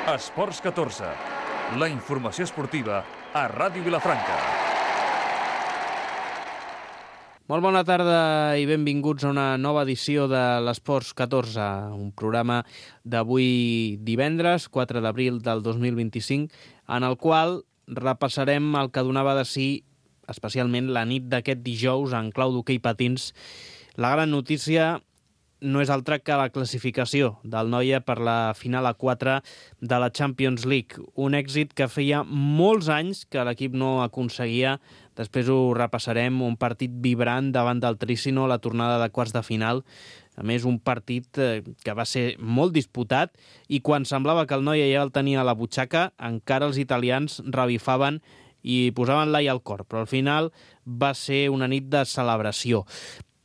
Esports 14, la informació esportiva a Ràdio Vilafranca. Molt bona tarda i benvinguts a una nova edició de l'Esports 14, un programa d'avui divendres, 4 d'abril del 2025, en el qual repassarem el que donava de si, especialment la nit d'aquest dijous en clau d'hoquei patins. La gran notícia no és altra que la classificació del Noia per la final a 4 de la Champions League. Un èxit que feia molts anys que l'equip no aconseguia. Després ho repassarem, un partit vibrant davant del Trícino, la tornada de quarts de final. A més, un partit que va ser molt disputat i quan semblava que el Noia ja el tenia a la butxaca, encara els italians revifaven i posaven l'ai al cor. Però al final va ser una nit de celebració.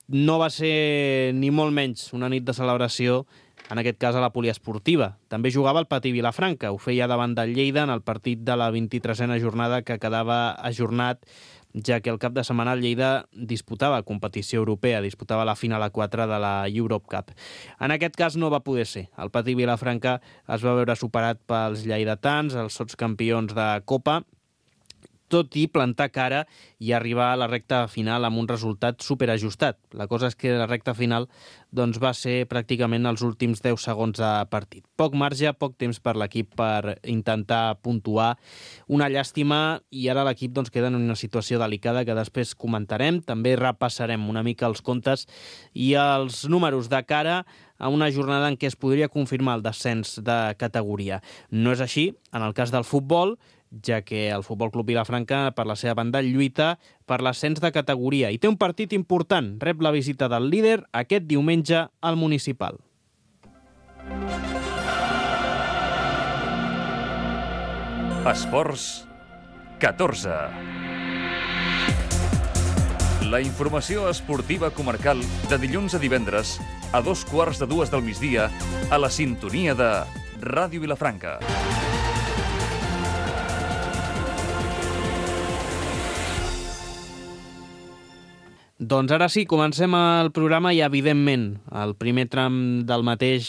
No va ser ni molt menys una nit de celebració, en aquest cas a la poliesportiva. També jugava el Patí Vilafranca, ho feia davant del Lleida en el partit de la 23a jornada que quedava ajornat, ja que el cap de setmana el Lleida disputava competició europea, disputava la final a 4 de la Europe Cup. En aquest cas no va poder ser. El Patí Vilafranca es va veure superat pels lleidatans, els sotscampions de Copa, tot i plantar cara i arribar a la recta final amb un resultat superajustat. La cosa és que la recta final va ser pràcticament els últims 10 segons de partit. Poc marge, poc temps per l'equip per intentar puntuar. Una llàstima i ara l'equip queda en una situació delicada que després comentarem. També repassarem una mica els comptes i els números de cara a una jornada en què es podria confirmar el descens de categoria. No és així en el cas del futbol, ja que el Futbol Club Vilafranca, per la seva banda, lluita per l'ascens de categoria i té un partit important. Rep la visita del líder aquest diumenge al Municipal. Esports 14. La informació esportiva comarcal de dilluns a divendres a 2:15 del migdia a la sintonia de Ràdio Vilafranca. Doncs ara sí, comencem el programa i, evidentment, el primer tram del mateix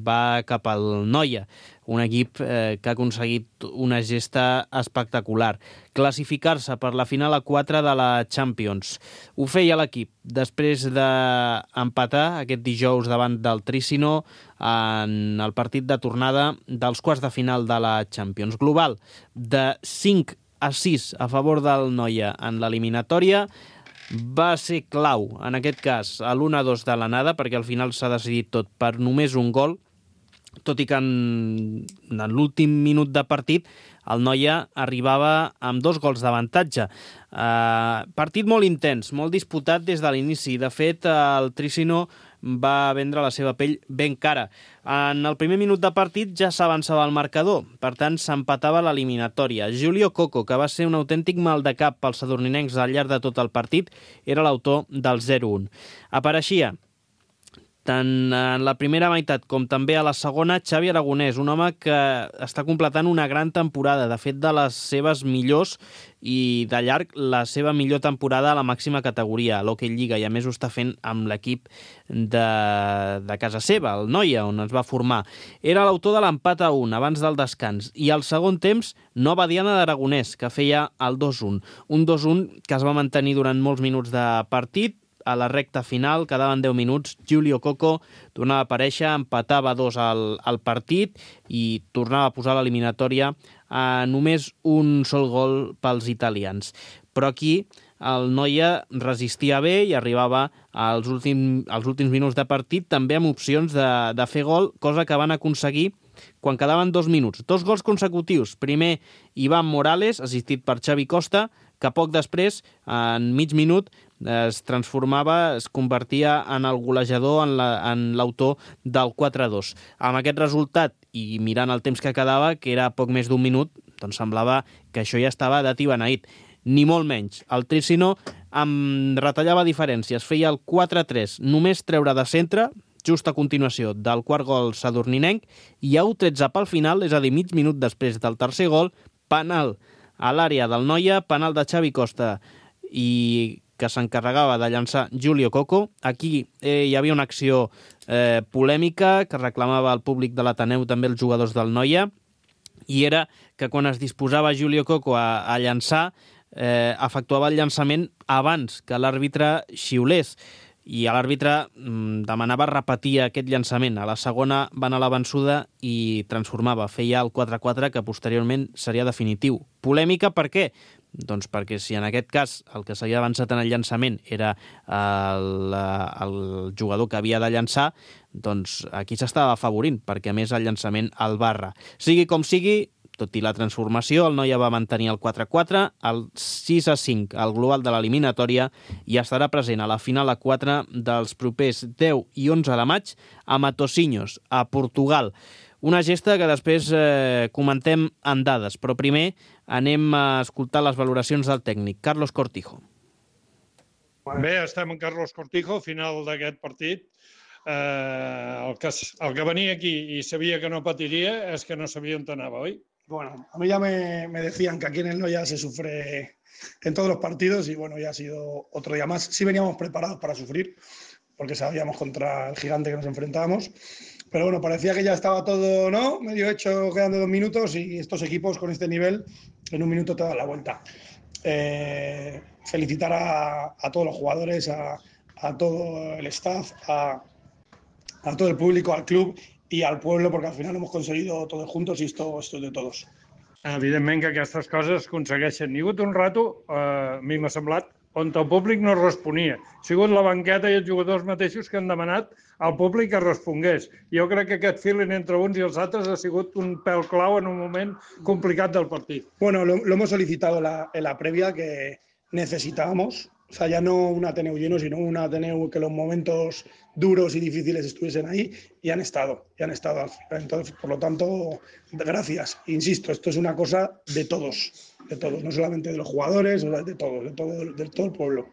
va cap al Noia, un equip que ha aconseguit una gesta espectacular. Classificar-se per la final a 4 de la Champions. Ho feia l'equip després d'empatar aquest dijous davant del Trícino en el partit de tornada dels quarts de final de la Champions. Global de 5-6 a favor del Noia en l'eliminatòria. Va ser clau, en aquest cas, a l'1-2 de l'anada, perquè al final s'ha decidit tot per només un gol, tot i que en l'últim minut de partit el Noia arribava amb 2 gols d'avantatge. Partit molt intens, molt disputat des de l'inici. De fet, el Trícino va vendre la seva pell ben cara. En el primer minut de partit ja s'avançava el marcador, per tant s'empatava l'eliminatòria. Giulio Coco, que va ser un autèntic mal de cap pels sadurninencs al llarg de tot el partit, era l'autor del 0-1. Apareixia tant en la primera meitat com també a la segona, Xavi Aragonès, un home que està completant una gran temporada, de fet de les seves millors i de llarg la seva millor temporada a la màxima categoria, a l'Hockey Lliga, i a més ho està fent amb l'equip de casa seva, el Noia, on es va formar. Era l'autor de l'empat a 1 abans del descans, i al segon temps nova diana d'Aragonès, que feia el 2-1. Un 2-1 que es va mantenir durant molts minuts de partit. A la recta final, quedaven 10 minuts, Giulio Coco tornava a aparèixer, empatava 2 al partit i tornava a posar l'eliminatòria a només un sol gol pels italians. Però aquí el Noia resistia bé i arribava als últims minuts de partit també amb opcions de fer gol, cosa que van aconseguir quan quedaven 2 minuts. 2 gols consecutius. Primer, Iván Morales, assistit per Xavi Costa, que poc després, en mig minut, es convertia en el golejador, en l'autor del 4-2. Amb aquest resultat, i mirant el temps que quedava, que era poc més d'un minut, doncs semblava que això ja estava dat i beneït. Ni molt menys. El Trícino retallava diferències, feia el 4-3, només treure de centre, just a continuació del quart gol sadurninenc, i a 1-13 pel final, és a dir, mig minut després del tercer gol, penal a l'àrea del Noia, penal de Xavi Costa, i que s'encarregava de llançar Giulio Coco. Aquí hi havia una acció polèmica que reclamava el públic de l'Ateneu, també els jugadors del Noia, i era que quan es disposava Julio Coco a llançar, efectuava el llançament abans que l'àrbitre xiulés, i l'àrbitre demanava repetir aquest llançament. A la segona va anar a la vençuda i transformava, feia el 4-4, que posteriorment seria definitiu. Polèmica per què? Doncs perquè si en aquest cas el que s'havia avançat en el llançament era el jugador que havia de llançar, doncs aquí s'estava afavorint, perquè a més el llançament el barra. Sigui com sigui, tot i la transformació, el Noia va mantenir el 4-4, el 6-5 al global de l'eliminatòria, i estarà present a la final a 4 dels propers 10 i 11 de maig a Matosinhos, a Portugal. Una gesta que després comentem en dades, però primer anem a escoltar les valoracions del tècnic, Carlos Cortijo. Bé, estem en Carlos Cortijo, final d'aquest partit. El que venia aquí i sabia que no patiria és que no sabia on anava, oi? Bueno, a mí ya me decían que aquí en el Noia se sufre en todos los partidos y bueno, ya ha sido otro día más. Sí veníamos preparados para sufrir, porque sabíamos contra el gigante que nos enfrentábamos, pero bueno, parecía que ya estaba todo, ¿no?, medio hecho, quedando 2 minutos, y estos equipos con este nivel en 1 minuto te dan la vuelta. Felicitar a todos los jugadores, a todo el staff, a todo el público, al club i al pueblo, perquè al final hemos conseguido todos juntos i esto es de todos. Evidentment que aquestes coses es aconsegueixen. Hi ha hagut un rato, a mi m'ha semblat, on el públic no responia. Ha sigut la banqueta i els jugadors mateixos que han demanat al públic que respongués. Jo crec que aquest feeling entre uns i els altres ha sigut un pèl clau en un moment complicat del partit. Bueno, lo hemos solicitado en la previa, que necesitábamos. O sea, ya no un Ateneu lleno, sino un Ateneu que los momentos duros y difíciles estuviesen ahí, y han estado. Entonces, por lo tanto, gracias. Insisto, esto es una cosa de todos, no solamente de los jugadores, de todo el pueblo.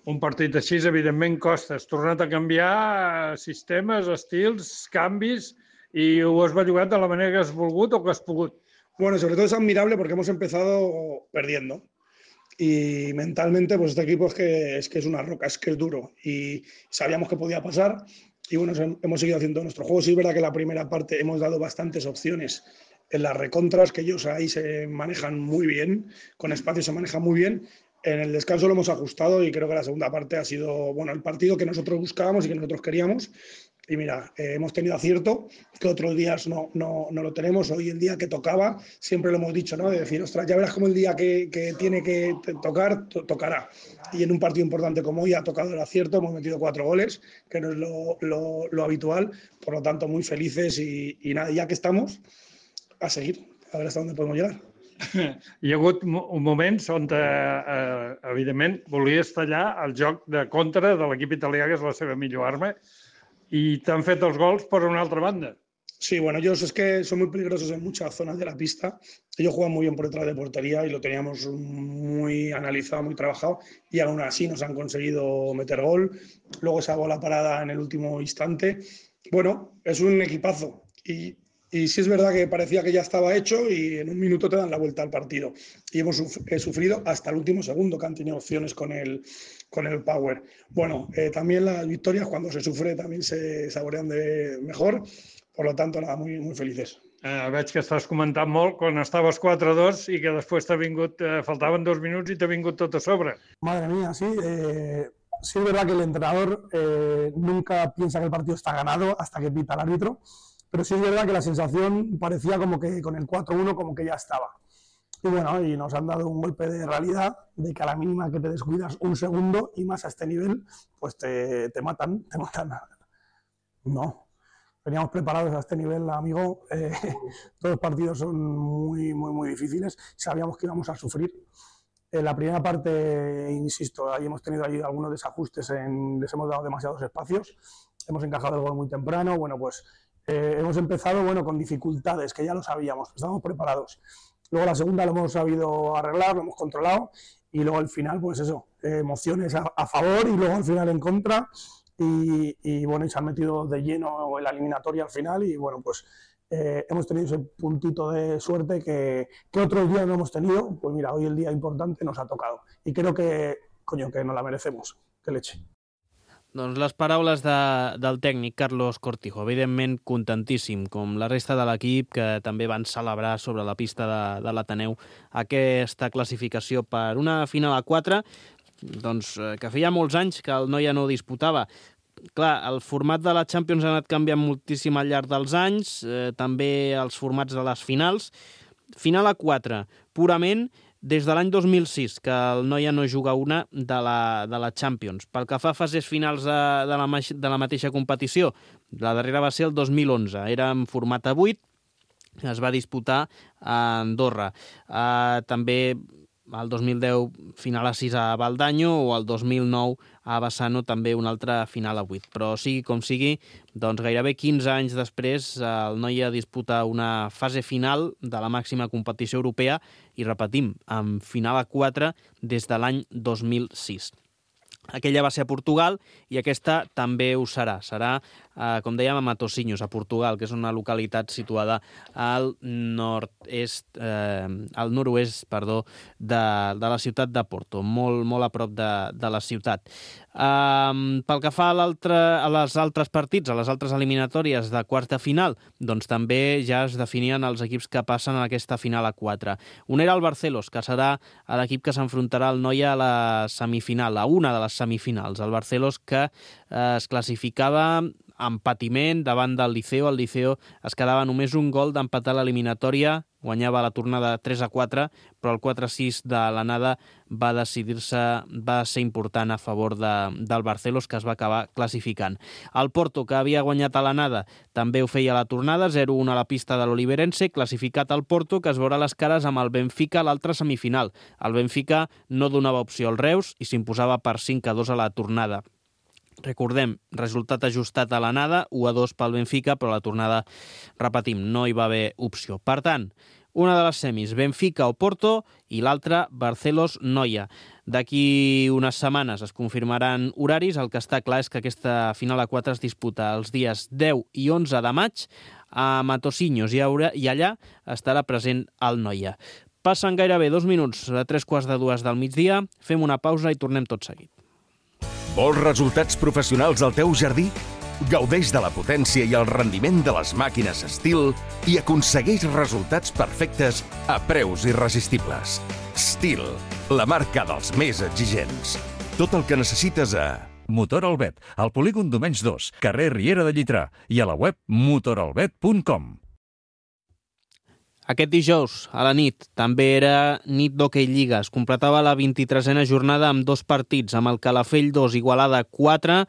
Un partit així, evidentment, costa. Has tornat a canviar sistemes, estils, canvis, i ho has bellugat de la manera que has volgut o que has pogut. Bueno, sobre todo es admirable porque hemos empezado perdiendo. Y mentalmente, pues este equipo es que es una roca, es que es duro, y sabíamos que podía pasar, y bueno, hemos seguido haciendo nuestro juego. Sí es verdad que en la primera parte hemos dado bastantes opciones en las recontras, que ellos ahí se manejan muy bien, con espacio se manejan muy bien. En el descanso lo hemos ajustado, y creo que la segunda parte ha sido, bueno, el partido que nosotros buscábamos y que nosotros queríamos. Y mira, hemos tenido acierto, que otros días no lo tenemos. Hoy el día que tocaba, siempre lo hemos dicho, ¿no?, de decir, ostras, ya verás cómo el día que tiene que tocar, tocará. Y en un partido importante como hoy ha tocado el acierto, hemos metido 4 goles, que no es lo habitual. Por lo tanto, muy felices, y nada, ya que estamos, a seguir, a ver hasta dónde podemos llegar. Hi ha hagut moments on, evidentment, volies tallar el joc de contra de l'equip italià, que és la seva millor arma, y te han fet els gols por una otra banda. Sí, bueno, ellos es que son muy peligrosos en muchas zonas de la pista. Ellos juegan muy bien por detrás de portería y lo teníamos muy analizado, muy trabajado, y aún así nos han conseguido meter gol. Luego esa bola parada en el último instante. Bueno, es un equipazo, y sí es verdad que parecía que ya estaba hecho, y en 1 minuto te dan la vuelta al partido. Y hemos sufrido hasta el último segundo, que han tenido opciones con el power. Bueno, también las victorias, cuando se sufre, también se saborean de mejor. Por lo tanto, nada, muy, muy felices. Veig que estàs comentant molt quan estaves 4-2 i que després t'ha vingut, faltaven 2 minuts i t'ha vingut tot a sobre. Madre mía, sí. Sí es verdad que el entrenador nunca piensa que el partido está ganado hasta que pita el árbitro. Pero sí es verdad que la sensación parecía como que con el 4-1 como que ya estaba. Y bueno, y nos han dado un golpe de realidad, de que a la mínima que te descuidas 1 segundo, y más a este nivel, pues te matan. No, veníamos preparados a este nivel, amigo. Todos los partidos son muy, muy, muy difíciles. Sabíamos que íbamos a sufrir. En la primera parte, insisto, ahí hemos tenido algunos desajustes, les hemos dado demasiados espacios, hemos encajado el gol muy temprano. Bueno, pues hemos empezado con dificultades, que ya lo sabíamos, estábamos preparados. Luego la segunda lo hemos sabido arreglar, lo hemos controlado, y luego al final, pues eso, emociones a favor y luego al final en contra, y bueno, y se han metido de lleno en la eliminatoria al final, y bueno, pues hemos tenido ese puntito de suerte que otros días no hemos tenido. Pues mira, hoy el día importante nos ha tocado, y creo que, coño, que nos la merecemos. ¡Qué leche! Doncs les paraules del tècnic Carlos Cortijo, evidentment contentíssim, com la resta de l'equip, que també van celebrar sobre la pista de l'Ateneu aquesta classificació per una final a 4, doncs, que feia molts anys que el Noia no disputava. Clar, el format de la Champions ha anat canviant moltíssim al llarg dels anys, també els formats de les finals. Final a 4, purament des de l'any 2006, que el Noia no juga una de la Champions. Pel que fa a fases finals de la mateixa competició, la darrera va ser el 2011. Era en format a 8, es va disputar a Andorra. També el 2010 final a 6 a Valdanyo, o el 2009 a Bassano també una altra final a 8. Però sigui com sigui, doncs gairebé 15 anys després el Noia disputa una fase final de la màxima competició europea i, repetim, amb final a 4 des de l'any 2006. Aquella va ser a Portugal i aquesta també ho serà. Serà, com dèiem, a Matosinhos, a Portugal, que és una localitat situada al noroest de la ciutat de Porto, molt a prop de la ciutat. Pel que fa a les altres partits, a les altres eliminatòries de quarts de final, doncs també ja es definien els equips que passen a aquesta final a 4. Un era el Barcelos, que serà l'equip que s'enfrontarà al Noia a la semifinal, a una de les semifinals. El Barcelos, que es classificava amb patiment davant del Liceo. El Liceo es quedava només un gol d'empatar l'eliminatòria, guanyava la tornada 3-4, però el 4-6 de l'anada va ser important a favor del Barcelos, que es va acabar classificant. El Porto, que havia guanyat a l'anada, també ho feia a la tornada, 0-1 a la pista de l'Oliverense, classificat al Porto, que es veurà les cares amb el Benfica a l'altra semifinal. El Benfica no donava opció al Reus i s'imposava per 5-2 a la tornada. Recordem, resultat ajustat a l'anada, 1-2 pel Benfica, però la tornada, repetim, no hi va haver opció. Per tant, una de les semis, Benfica o Porto, i l'altra, Barcelos-Noia. D'aquí unes setmanes es confirmaran horaris. El que està clar és que aquesta final a 4 es disputa els dies 10 i 11 de maig a Matosinhos, i allà estarà present el Noia. Passen gairebé 2 minuts a 3:45 del migdia, fem una pausa i tornem tot seguit. Vols resultats professionals al teu jardí? Gaudeix de la potència i el rendiment de les màquines Stihl i aconsegueix resultats perfectes a preus irresistibles. Stihl, la marca dels més exigents. Tot el que necessites a Motor Albet, al polígon Domenys 2, carrer Riera de Llitrà, i a la web motoralbet.com. Aquest dijous, a la nit, també era nit d'Hockey Lliga. Es completava la 23a jornada amb 2 partits, amb el Calafell 2, Igualada 4,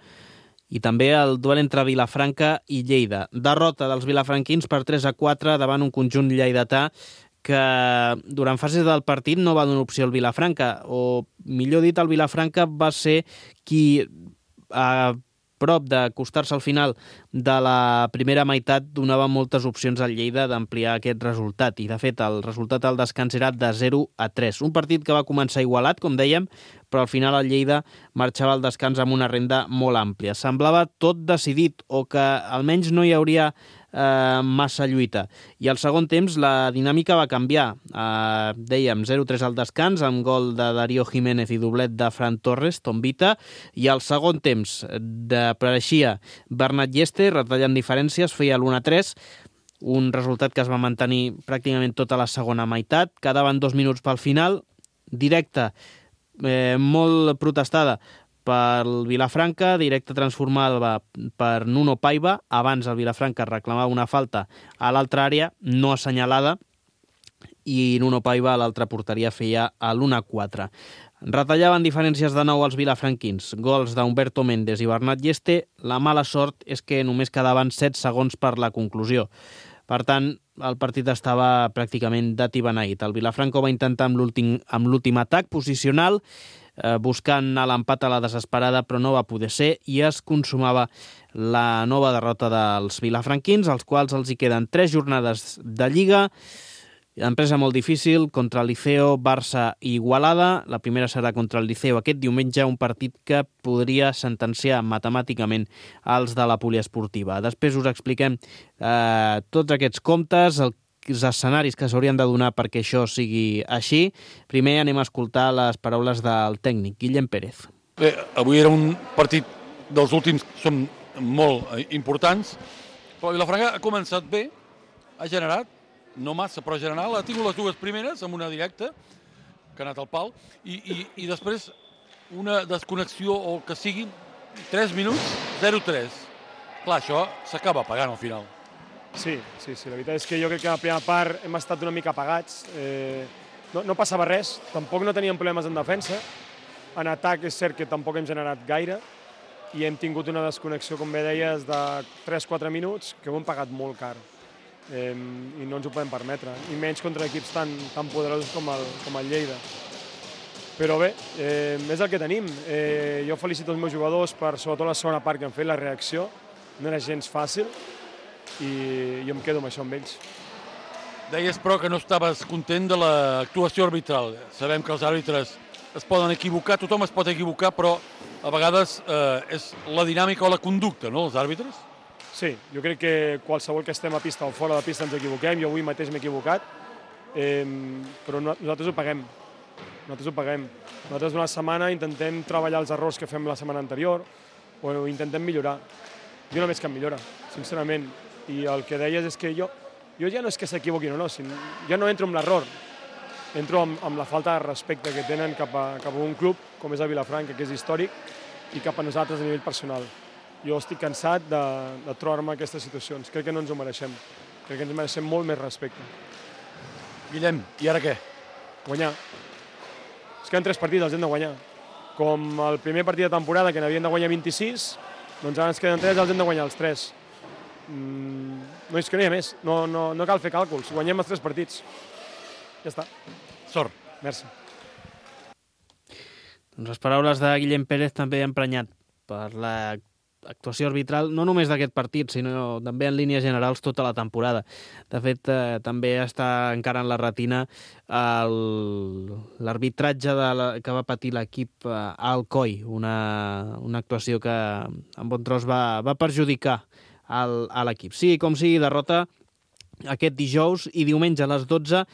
i també el duel entre Vilafranca i Lleida. Derrota dels vilafranquins per 3-4 davant un conjunt lleidatà que durant fases del partit no va donar opció al Vilafranca, o millor dit, el Vilafranca va ser qui, a prop d'acostar-se al final de la primera meitat, donava moltes opcions al Lleida d'ampliar aquest resultat, i de fet el resultat al descans era de 0-3. Un partit que va començar igualat, com dèiem, però al final el Lleida marxava al descans amb una renda molt àmplia. Semblava tot decidit, o que almenys no hi hauria massa lluita. I al segon temps la dinàmica va canviar. Dèiem 0-3 al descans, amb gol de Darío Jiménez i doblet de Fran Torres, Tombita, i al segon temps apareixia Bernat Lleste, retallant diferències, feia l'1-3, un resultat que es va mantenir pràcticament tota la segona meitat. Quedaven 2 minuts pel final, directa molt protestada pel Vilafranca, directe transformada per Nuno Paiva. Abans el Vilafranca reclamava una falta a l'altra àrea, no assenyalada, i Nuno Paiva a l'altra porteria feia l'1-4. Retallaven diferències de nou els vilafranquins. Gols d'Humberto Méndez i Bernat Lleste. La mala sort és que només quedaven 7 segons per la conclusió. Per tant, el partit estava pràcticament dat i beneït. El Vilafranca va intentar amb l'últim atac posicional, buscant l'empat a la desesperada, però no va poder ser, i es consumava la nova derrota dels vilafranquins, als quals els hi queden 3 jornades de Lliga. Empresa molt difícil contra el Liceo, Barça i Igualada. La primera serà contra el Liceo aquest diumenge, un partit que podria sentenciar matemàticament els de la poliesportiva. Després us expliquem tots aquests comptes, els escenaris que s'haurien de donar perquè això sigui així. Primer anem a escoltar les paraules del tècnic, Guillem Pérez. Bé, avui era un partit dels últims són molt importants, però Vilafranca ha començat bé, ha generat, no massa, però general, ha tingut les dues primeres amb una directa, que ha anat al pal, i després una desconnexió o que sigui 3 minuts, 0-3. Clar, això s'acaba pagant al final. Sí, la veritat és que jo crec que a la primera part hem estat una mica apagats. No passava res, tampoc no teníem problemes en defensa. En atac és cert que tampoc hem generat gaire i hem tingut una desconnexió, com bé deies, de 3-4 minuts que ho hem pagat molt car. I no ens ho podem permetre, i menys contra equips tan poderosos com el Lleida. Però bé, és el que tenim. Jo felicito els meus jugadors per, sobretot la segona part que han fet, la reacció. No era gens fàcil i jo em quedo amb això amb ells. Deies, però, que no estaves content de l'actuació arbitral. Sabem que els àrbitres es poden equivocar, tothom es pot equivocar, però a vegades és la dinàmica o la conducta, no?, els àrbitres? Sí, jo crec que qualsevol que estem a pista o fora de pista ens equivoquem. Jo avui mateix m'he equivocat, però nosaltres ho paguem. Nosaltres durant la setmana intentem treballar els errors que fem la setmana anterior o intentem millorar. Jo només que em millora, sincerament. I el que deies és que jo ja no és que s'equivoquin o no, ja no entro en l'error. Entro amb la falta de respecte que tenen cap a un club com és el Vilafranca, que és històric, i cap a nosaltres a nivell personal. Jo estic cansat de trobar-me en aquestes situacions. Crec que no ens ho mereixem. Crec que ens mereixem molt més respecte. Guillem, i ara què? Guanyar. Es queden 3 partits, els hem de guanyar. Com el primer partit de temporada, que n'havien de guanyar 26, doncs ara ens queden 3, els hem de guanyar els 3. No és que no hi ha més. No cal fer càlculs. Guanyem els 3 partits. Ja està. Sort. Merci. Doncs les paraules de Guillem Pérez també han emprenyat per l'actuació arbitral, no només d'aquest partit, sinó també en línies generals tota la temporada. De fet, també està encara en la retina l'arbitratge que va patir l'equip a Alcoi, una actuació que en bon tros va perjudicar a l'equip. Sí, com sigui, derrota aquest dijous, i diumenge a les 12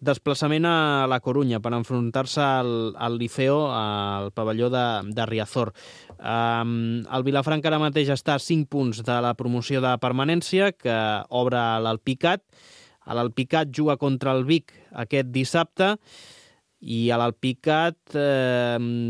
desplaçament a la Corunya per enfrontar-se al Liceo al pavelló de Riazor. El Vilafranca ara mateix està a 5 punts de la promoció de permanència, que obre l'Alpicat. L'Alpicat juga contra el Vic aquest dissabte, i a l'Alpicat,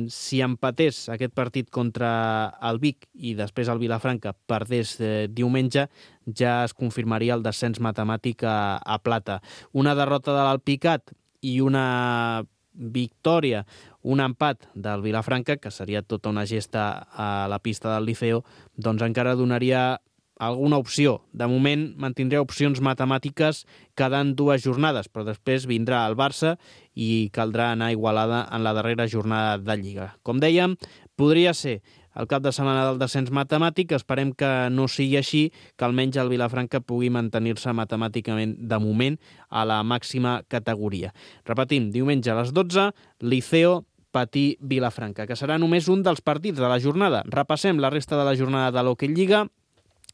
si empatés aquest partit contra el Vic i després el Vilafranca perdés diumenge, ja es confirmaria el descens matemàtic a plata. Una derrota de l'Alpicat i una victòria, un empat del Vilafranca, que seria tota una gesta a la pista del Liceo, doncs encara donaria alguna opció. De moment mantindrà opcions matemàtiques quedant 2 jornades, però després vindrà el Barça i caldrà anar a Igualada en la darrera jornada de Lliga. Com dèiem, podria ser el cap de setmana del descens matemàtic. Esperem que no sigui així, que almenys el Vilafranca pugui mantenir-se matemàticament de moment a la màxima categoria. Repetim, diumenge a les 12, Liceo Patí Vilafranca, que serà només un dels partits de la jornada. Repassem la resta de la jornada de l'Hockey Lliga,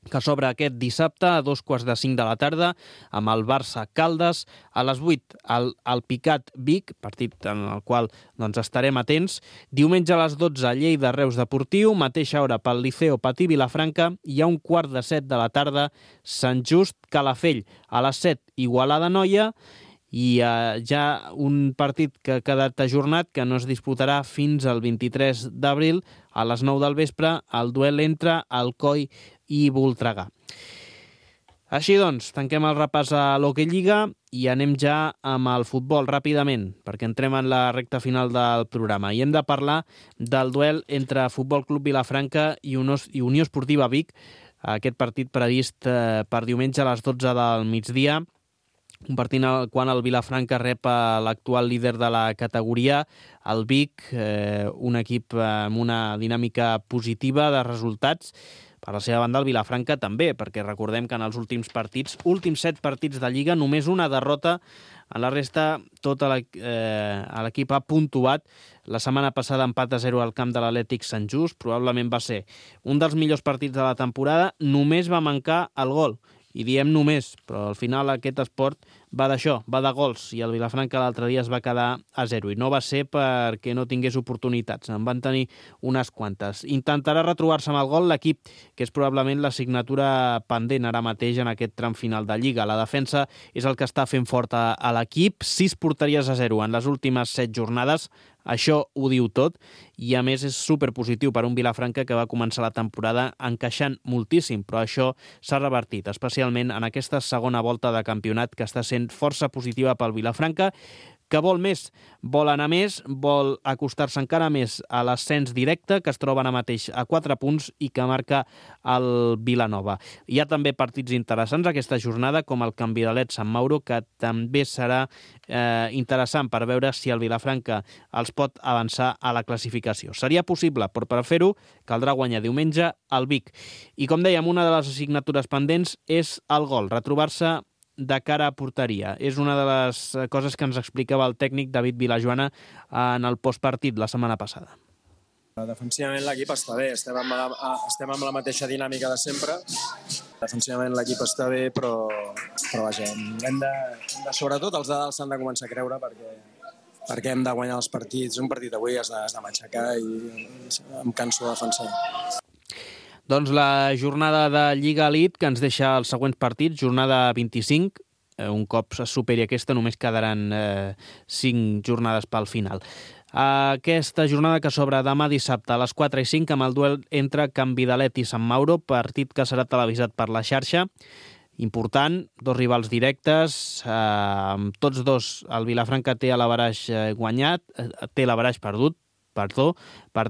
que s'obre aquest dissabte a 2:45 de la tarda amb el Barça-Caldes. A les 8 el Picat-Vic, partit en el qual estarem atents. Diumenge a les 12 Lleida-Reus Deportiu, mateixa hora pel Liceo Patí-Vilafranca, i a 1:15 de la tarda Sant Just-Calafell. A les 7 Igualada-Noia, i ja un partit que ha quedat ajornat, que no es disputarà fins al 23 d'abril, a les 9 del vespre, el duel entre Alcoi i Voltregà. Així doncs, tanquem el repàs a l'Hockey Lliga i anem ja amb el futbol ràpidament, perquè entrem en la recta final del programa. I hem de parlar del duel entre Futbol Club Vilafranca i Unió Esportiva Vic, aquest partit previst per diumenge a les 12 del migdia, un partit quan el Vilafranca rep l'actual líder de la categoria, el Vic, un equip amb una dinàmica positiva de resultats. Per la seva banda, el Vilafranca també, perquè recordem que en els últims 7 partits de Lliga, només una derrota. En la resta, tot l'equip ha puntuat. La setmana passada empat a 0 al camp de l'Atlètic Sant Just. Probablement va ser un dels millors partits de la temporada. Només va mancar el gol. I diem només, però al final aquest esport va d'això, va de gols, i el Vilafranca l'altre dia es va quedar a 0, i no va ser perquè no tingués oportunitats, en van tenir unes quantes. Intentarà retrobar-se amb el gol l'equip, que és probablement l'assignatura pendent ara mateix en aquest tram final de Lliga. La defensa és el que està fent fort a l'equip, 6 porteries a 0 en les últimes 7 jornades, això ho diu tot, i a més és superpositiu per un Vilafranca que va començar la temporada encaixant moltíssim, però això s'ha revertit, especialment en aquesta segona volta de campionat que està sent força positiva pel Vilafranca, que vol més, vol anar més, vol acostar-se encara més a l'ascens directe, que es troba ara mateix a 4 punts i que marca el Vilanova. Hi ha també partits interessants aquesta jornada, com el Canvidalet-Sant Mauro, que també serà interessant per veure si el Vilafranca els pot avançar a la classificació. Seria possible, però per fer-ho caldrà guanyar diumenge al Vic. I com dèiem, una de les assignatures pendents és el gol, retrobar-se de cara a porteria. És una de les coses que ens explicava el tècnic David Vilajoana en el postpartit la setmana passada. Defensivament l'equip està bé, estem amb la mateixa dinàmica de sempre. Defensivament l'equip està bé, però vaja, sobretot els de dalt s'han de començar a creure perquè hem de guanyar els partits. Un partit avui has de matxacar i em canso de defensar. Doncs la jornada de Lliga Elite que ens deixa els següents partits, jornada 25, un cop es superi aquesta només quedaran 5 jornades pel final. Aquesta jornada que s'obre demà dissabte a les 4 i 5 amb el duel entre Canvidalet i Sant Mauro, partit que serà televisat per la xarxa. Important, 2 rivals directes, tots dos, el Vilafranca té l'averaix guanyat, té l'averaix perdut, per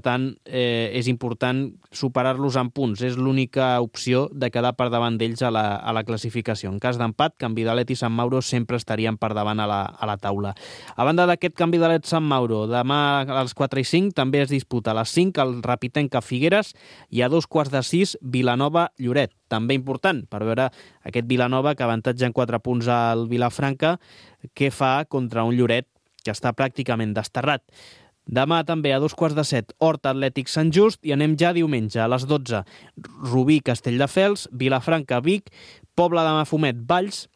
tant, és important superar-los en punts. És l'única opció de quedar per davant d'ells a la classificació. En cas d'empat, Canvidalet i Sant Mauro sempre estarien per davant a la taula. A banda d'aquest Canvidalet-Sant Mauro, demà a les 4 i 5 també es disputa a les 5 el Rapitenca-Figueres i a 5:15 Vilanova-Lloret. També important per veure aquest Vilanova que avantatja en 4 punts al Vilafranca, què fa contra un Lloret que està pràcticament desterrat. Demà també a 2:15 Horta Atlètic Sant Just i anem ja diumenge a les 12 Rubí Castelldefels, Vilafranca Vic, Pobla de Mafumet Valls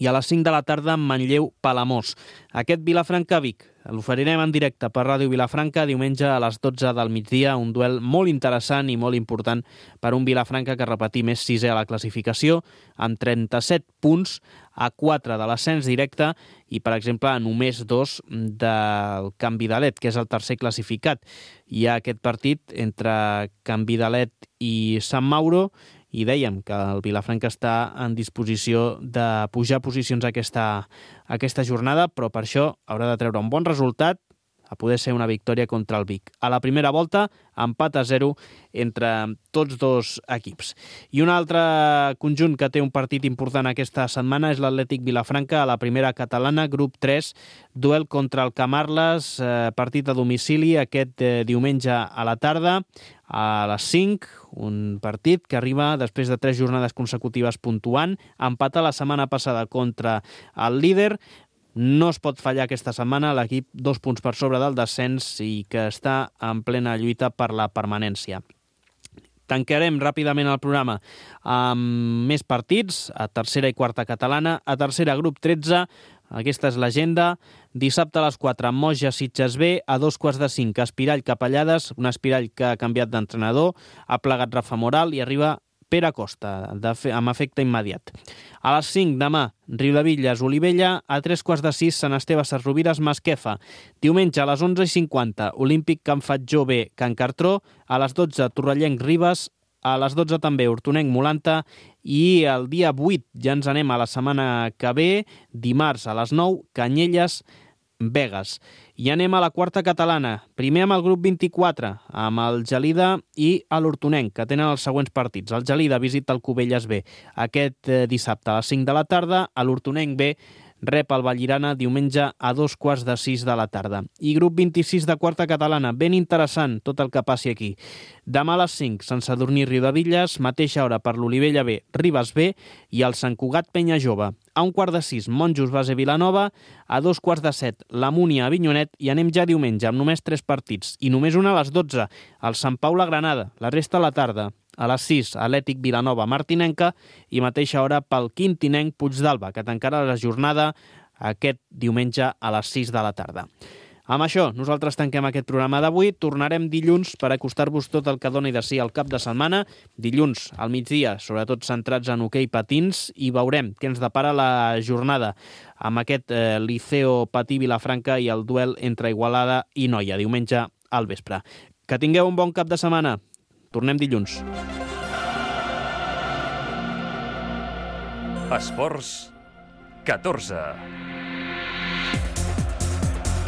i a les 5 de la tarda Manlleu Palamós. Aquest Vilafranca Vic l'oferirem en directe per Ràdio Vilafranca diumenge a les 12 del migdia, un duel molt interessant i molt important per un Vilafranca que, repetim, és 6è a la classificació, amb 37 punts a 4 de l'ascens directe i, per exemple, a només 2 del Canvidalet, que és el tercer classificat. Hi ha aquest partit entre Canvidalet i Sant Mauro i dèiem que el Vilafranca està en disposició de pujar posicions aquesta jornada, però per això haurà de treure un bon resultat, a poder ser una victòria contra el Vic. A la primera volta, empat a 0 entre tots dos equips. I un altre conjunt que té un partit important aquesta setmana és l'Atlètic Vilafranca a la primera catalana, grup 3, duel contra el Camarles, partit a domicili aquest diumenge a la tarda, a les 5, un partit que arriba després de 3 jornades consecutives puntuant, empat la setmana passada contra el líder. No es pot fallar aquesta setmana, l'equip 2 punts per sobre del descens i que està en plena lluita per la permanència. Tancarem ràpidament el programa amb més partits, a tercera i quarta catalana, a tercera grup 13, aquesta és l'agenda, dissabte a les 4, Moja Sitges B, a 4:45, Espirall Capellades, un Espirall que ha canviat d'entrenador, ha plegat Rafa Moral i arriba Pere Costa, amb efecte immediat. A les 5 demà, Riudebitlles, Olivella, a 3:15, Sant Esteve Sesrovires, Masquefa. Diumenge a les 11:50, Olímpic Can Fatjó B, Can Cartró, a les 12, Torrellenc Ribes, a les 12 també Hortonenc Molanta i el dia 8 ja ens anem a la setmana que ve, dimarts a les 9, Canyelles, Begues. I anem a la quarta catalana, primer amb el grup 24, amb el Gelida i l'Hortonenc, que tenen els següents partits. El Gelida visita el Cubelles B aquest dissabte a les 5 de la tarda, l'Hortonenc B rep el Vallirana diumenge a 2:15 de la tarda. I grup 26 de quarta catalana, ben interessant tot el que passi aquí. Demà a les 5, Sant Sadurní Riudebitlles, mateixa hora per l'Olivella B, Ribes B i el Sant Cugat Penya Jove. A 5:15, Monjos base Vilanova. A 2:15, la Múnia Avinyonet. I anem ja diumenge amb només 3 partits. I només una a les 12, el Sant Pau la Granada. La resta a la tarda. A les 6, Atlètic Vilanova Martinenca. I mateixa hora pel quintinenc Puigdàlber, que tancarà la jornada aquest diumenge a les 6 de la tarda. Amb això, nosaltres tanquem aquest programa d'avui. Tornarem dilluns per acostar-vos tot el que doni de si al cap de setmana. Dilluns al migdia, sobretot centrats en hoquei patins, i veurem què ens depara la jornada amb aquest Liceo Patí Vilafranca i el duel entre Igualada i Noia, diumenge al vespre. Que tingueu un bon cap de setmana. Tornem dilluns. Esports 14.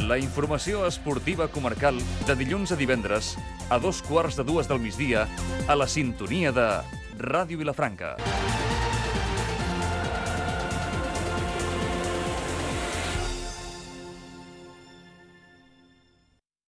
La informació esportiva comarcal de dilluns a divendres a 2:15 del migdia a la sintonia de Ràdio Vilafranca.